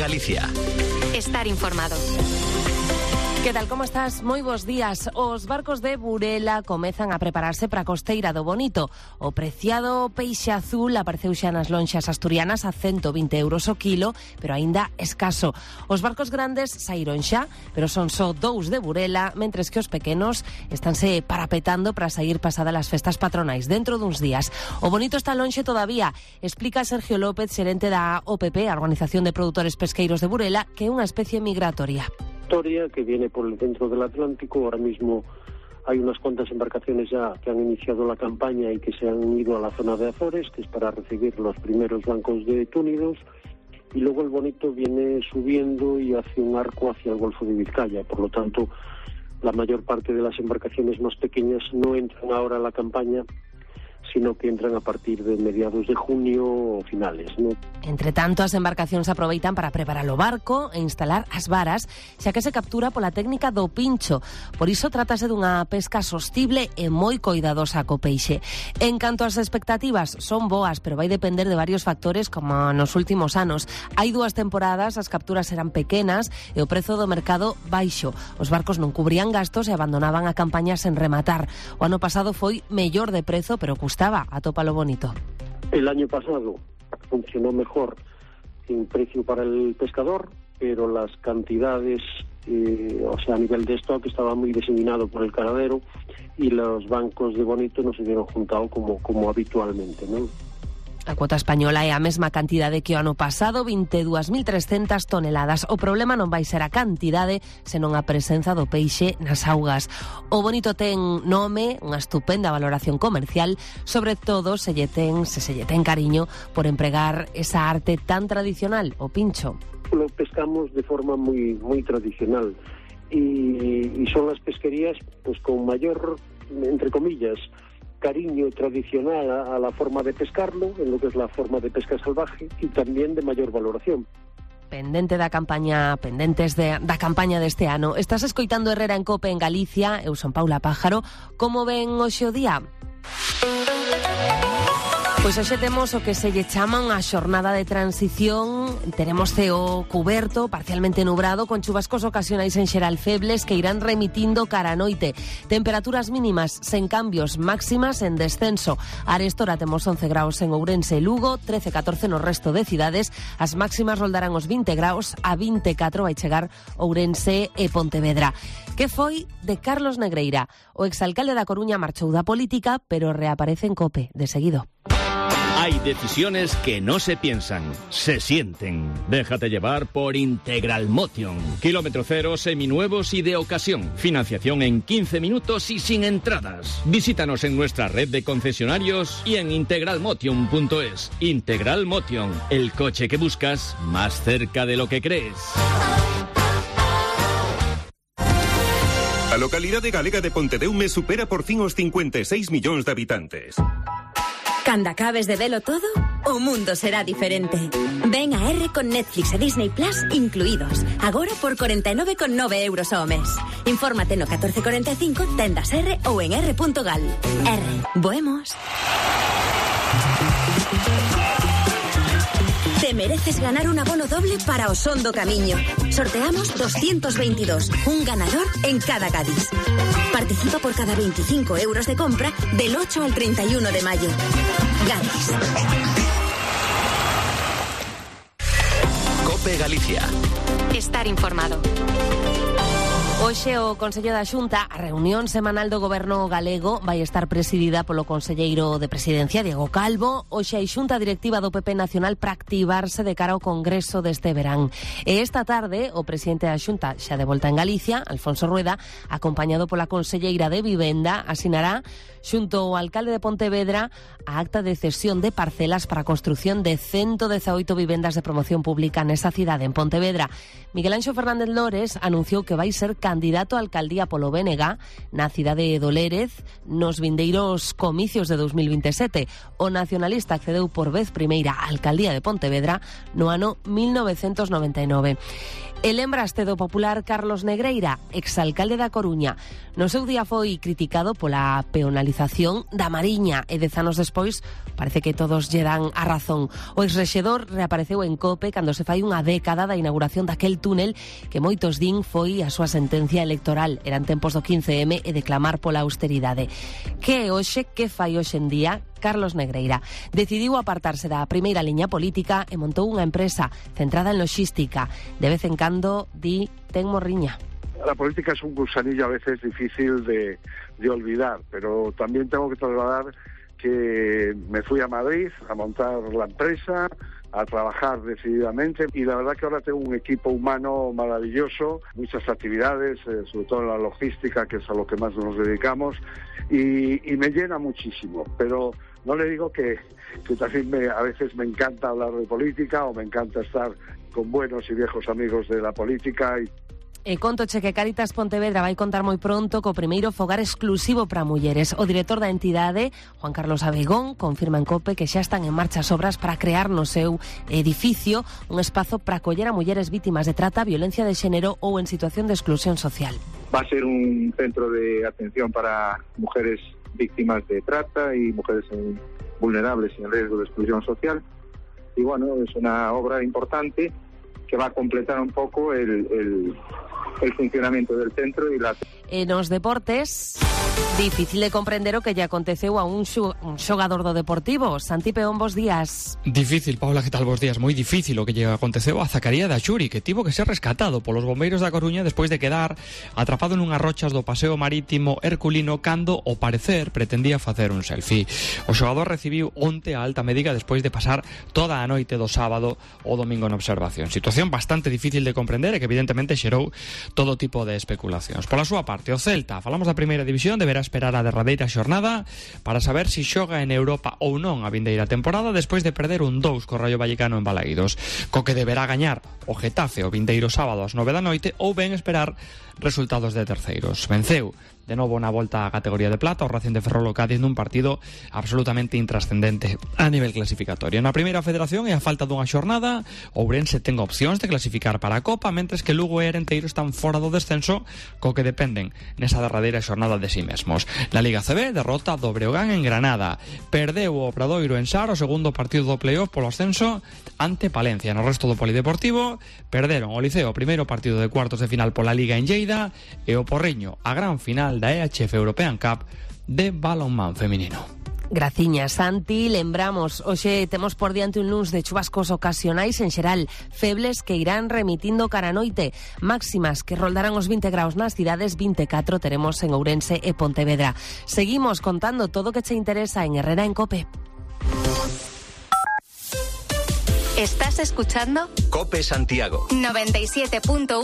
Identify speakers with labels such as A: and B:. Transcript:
A: Galicia.
B: Estar informado.
C: Que tal, como estás? Moi bons días. Os barcos de Burela comezan a prepararse para a costeira do Bonito. O preciado peixe azul apareceu xa nas lonxas asturianas a 120 euros o kilo, pero aínda escaso. Os barcos grandes saíron xa, pero son só 2 de Burela, mentres que os pequenos estánse parapetando para sair pasada las festas patronais dentro duns días. O Bonito está lonxe todavía, explica Sergio López, xerente da OPP, a Organización de Produtores Pesqueiros de Burela, que é unha especie migratoria.
D: Que viene por el centro del Atlántico. Ahora mismo hay unas cuantas embarcaciones ya que han iniciado la campaña y que se han ido a la zona de Azores, que es para recibir los primeros bancos de túnidos, y luego el Bonito viene subiendo y hace un arco hacia el Golfo de Vizcaya. Por lo tanto, la mayor parte de las embarcaciones más pequeñas no entran ahora a la campaña, sino que entran a partir de mediados de junio ou finales, ¿no?
C: Entre tanto, as embarcacións aproveitan para preparar o barco e instalar as varas, xa que se captura pola técnica do pincho. Por iso trátase dunha pesca sostible e moi coidadosa co peixe. En canto ás expectativas, son boas, pero vai depender de varios factores como nos últimos anos. Hai 2 temporadas, as capturas eran pequenas e o prezo do mercado baixo. Os barcos non cubrían gastos e abandonaban a campaña sen rematar. O ano pasado foi mellor de prezo, pero custaba atópalo Bonito.
D: El año pasado funcionó mejor en precio para el pescador, pero las cantidades, a nivel de stock estaba muy diseminado por el caradero y los bancos de Bonito no se hubieron juntado como habitualmente, ¿no?
C: A cuota española é a mesma cantidade que o ano pasado, 22.300 toneladas. O problema non vai ser a cantidade, senón a presenza do peixe nas augas. O Bonito ten nome, unha estupenda valoración comercial, sobre todo se lle ten cariño por empregar esa arte tan tradicional, o pincho.
D: Lo pescamos de forma muy tradicional y son las pesquerías pues con mayor, entre comillas, cariño tradicional a la forma de pescarlo, en lo que es la forma de pesca salvaje, y también de mayor valoración.
C: Pendentes da campaña deste ano. Estás escoitando Herrera en Cope en Galicia, eu son Paula Pájaro. Como ven hoxe o día? Pois hoxe temos o que se lle chama unha xornada de transición. Teremos ceo cuberto, parcialmente nubrado, con chubascos ocasionais en xeral febles que irán remitindo cara a noite. Temperaturas mínimas sen cambios, máximas en descenso. Arestora temos 11 graus en Ourense e Lugo, 13-14 no resto de cidades. As máximas roldarán os 20 graus, a 24 vai chegar Ourense e Pontevedra. Que foi de Carlos Negreira? O exalcalde da Coruña marchou da política, pero reaparece en Cope, de seguido.
A: Hay decisiones que no se piensan, se sienten. Déjate llevar por Integral Motion. Kilómetro cero, seminuevos y de ocasión. Financiación en 15 minutos y sin entradas. Visítanos en nuestra red de concesionarios y en integralmotion.es. Integral Motion, el coche que buscas más cerca de lo que crees.
E: A localidade galega de Pontedeume supera por fin os 56 millóns de habitantes.
B: Cando acabes de velo todo, o mundo será diferente. Ven a R con Netflix e Disney Plus incluídos. Agora por 49,9 euros ao mes. Infórmate no 1445, tendas R ou en r.gal. R. Boemos. Te mereces ganar un abono doble para o Son do Camiño. Sorteamos 222, un ganador en cada Cádiz. Participa por cada 25 euros de compra del 8 al 31 de mayo. Cádiz.
A: Cope Galicia.
B: Estar informado.
C: Hoxe o Consello da Xunta, a reunión semanal do Goberno galego, vai estar presidida polo Conselleiro de Presidencia, Diego Calvo. Hoxe hai Xunta Directiva do PP Nacional para activarse de cara ao Congreso deste verán. E esta tarde, o presidente da Xunta, xa de volta en Galicia, Alfonso Rueda, acompañado pola Conselleira de Vivenda, asinará xunto ao alcalde de Pontevedra a acta de cesión de parcelas para a construción de 118 vivendas de promoción pública nesa cidade, en Pontevedra. Miguel Anxo Fernández Lores anunciou que vai ser candidato a alcaldía polo BNG na cidade de Dolérez nos vindeiros comicios de 2027. O nacionalista accedeu por vez primeira á alcaldía de Pontevedra no ano 1999. E lembraste do popular Carlos Negreira, exalcalde da Coruña. No seu día foi criticado pola peonalización da Mariña e 10 anos despois parece que todos lle dan a razón. O exrexedor reapareceu en COPE cando se fai unha década da inauguración daquel túnel que moitos din foi a súa sentencia electoral. Eran tempos do 15M e de clamar pola austeridade. Que fai hoxe en día? Carlos Negreira decidiu apartarse da primeira liña política e montou unha empresa centrada en logística. De vez en cando ten morriña.
F: La política es un gusanillo a veces difícil de olvidar, pero también tengo que trasladar que me fui a Madrid a montar la empresa, a trabajar decididamente, y la verdad que ahora tengo un equipo humano maravilloso, muchas actividades, sobre todo en la logística, que es a lo que más nos dedicamos, y me llena muchísimo, pero no le digo que también a veces me encanta hablar de política o me encanta estar con buenos y viejos amigos de la política.
C: E contoche que Cáritas Pontevedra vai contar moi pronto co primeiro fogar exclusivo para mulleres. O director da entidade, Juan Carlos Abegón, confirma en COPE que xa están en marcha as obras para crear no seu edificio un espazo para acoller a mulleres vítimas de trata, violencia de xénero ou en situación de exclusión social.
G: Va a ser un centro de atención para mujeres víctimas de trata y mujeres vulnerables y en riesgo de exclusión social. Y bueno, es una obra importante que va a completar un poco el funcionamiento del centro y la...
C: En os deportes, difícil de comprender o que lle aconteceu a un xogador do Deportivo. Santi Peón, bos días.
H: Difícil, Paula, que tal, bos días? Moi difícil o que lle aconteceu a Zacaría Daxuri, que tivo que ser rescatado polos bombeiros da Coruña despois de quedar atrapado nunhas rochas do paseo marítimo Herculino cando, ao parecer, pretendía facer un selfie. O xogador recibiu onte a alta médica despois de pasar toda a noite do sábado ou domingo en observación. Situación bastante difícil de comprender e que evidentemente xerou todo tipo de especulacións. Pola súa parte, o Celta, falamos da primeira división, deberá esperar a derradeira xornada para saber se xoga en Europa ou non a vindeira temporada despois de perder un 2 co Rayo Vallecano en Balaídos, co que deberá gañar o Getafe o vindeiro sábado ás 9 da noite ou ben esperar resultados de terceiros. Venceu de novo na volta á categoría de plata o Racing de Ferrol o Cádiz nun partido absolutamente intrascendente a nivel clasificatorio. Na primeira federación e a falta dunha xornada, Ourense ten opcións de clasificar para a Copa, mentres que Lugo e Arenteiro están fora do descenso, co que dependen nesa derradeira xornada de si mesmos. Na Liga CB, derrota do Breogán en Granada. Perdeu o Obradoiro en Sar o segundo partido do playoff polo ascenso ante Palencia. No resto do polideportivo, perderon o Liceo o primeiro partido de cuartos de final pola Liga en Lleida e o Porriño a gran final da EHF European Cup de balonmán feminino.
C: Graciña, Santi. Lembramos, hoxe temos por diante un luns de chubascos ocasionais en xeral, febles que irán remitindo cara a noite, máximas que roldarán os 20 graus nas cidades, 24 teremos en Ourense e Pontevedra. Seguimos contando todo o que che interesa en Herrera en COPE.
B: ¿Estás escuchando?
I: COPE Santiago
B: 97.1